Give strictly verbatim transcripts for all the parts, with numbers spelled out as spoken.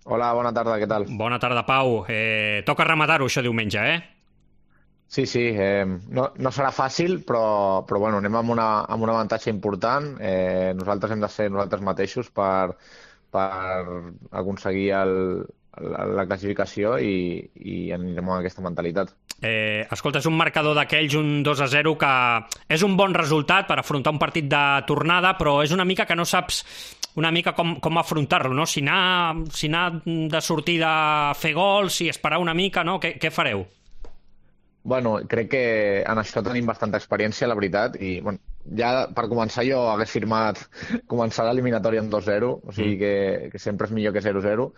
Hola, bona tarda, què tal? Bona tarda, Pau. Eh, toca rematar-ho, això diumenge, eh? Sí, sí, eh, no, no serà fàcil, però, però bueno, anem amb una, amb un avantatge important. Eh, nosaltres hem de ser nosaltres mateixos per, per aconseguir el, la, la classificació i, i anirem amb aquesta mentalitat. Eh, escolta, és un marcador d'aquells, un dos a zero, que és un bon resultat per afrontar un partit de tornada, però és una mica que no saps una mica com, com afrontar-lo, no? Si anar, si anar de sortida a fer gols, si esperar una mica, no? Què, què fareu? Bueno, crec que en això tenim bastanta experiència, la veritat, i bueno, ja per començar jo hagués firmat començar l'eliminatòria amb dos zero, o Mm. sigui que, que sempre és millor que zero zero,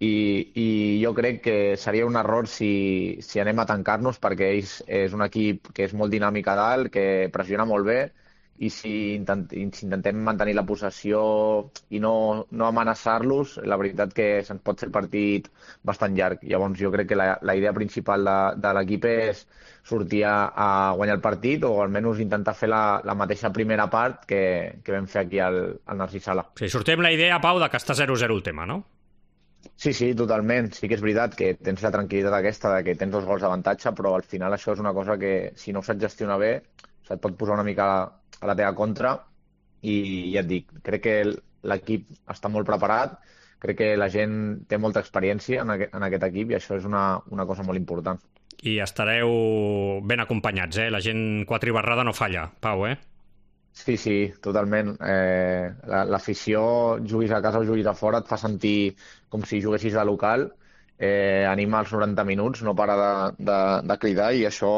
i, i jo crec que seria un error si, si anem a tancar-nos perquè ells és un equip que és molt dinàmic a dalt, que pressiona molt bé, i si, intent, i si intentem mantenir la possessió i no, no amenaçar-los, la veritat que se'ns pot fer el partit bastant llarg. Llavors jo crec que la, la idea principal de, de l'equip és sortir a, a guanyar el partit o almenys intentar fer la, la mateixa primera part que, que vam fer aquí al, al Narcís Sala. Sí, sortim la idea, Pau, de que està zero zero el tema, no? Sí, sí, totalment. Sí que és veritat que tens la tranquil·litat aquesta de que tens dos gols d'avantatge, però al final això és una cosa que si no ho saps gestionar bé se't pot posar una mica a la teva contra i ja et dic, crec que l'equip està molt preparat, crec que la gent té molta experiència en aquest, en aquest equip i això és una, una cosa molt important. I estareu ben acompanyats, eh? La gent quatribarrada no falla, Pau, eh? Sí, sí, totalment. Eh, la- L'afició, juguis a casa o juguis a fora, et fa sentir com si juguessis de local, eh, anima els noranta minuts, no para de, de, de cridar i això,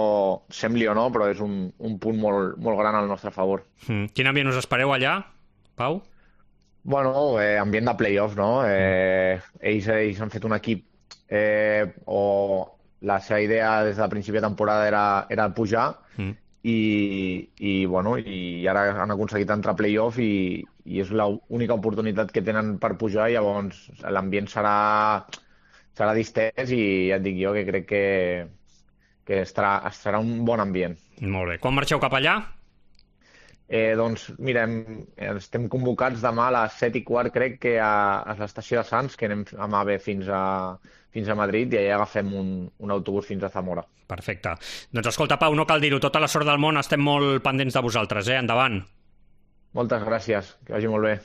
sembli o no, però és un, un punt molt, molt gran al nostre favor. Mm. Quin ambient us espereu allà, Pau? Bueno, eh, ambient de playoff, no? Mm. Eh, ells, ells han fet un equip eh, o la seva idea des de principi de temporada era, era pujar Mm. i, i, bueno, i ara han aconseguit entrar a playoff i, i és l'única oportunitat que tenen per pujar, llavors l'ambient serà, serà distès i ja et dic jo que crec que, que estarà, estarà un bon ambient. Molt bé. Quan marxeu cap allà? Eh, doncs mira, hem, estem convocats demà a les set i quart, crec que a, a l'estació de Sants, que anem amb AVE fins a, fins a Madrid i allà agafem un, un autobús fins a Zamora. Perfecte. Doncs escolta, Pau, no cal dir-ho, tota la sort del món, estem molt pendents de vosaltres, eh? Endavant. Moltes gràcies, que vagi molt bé.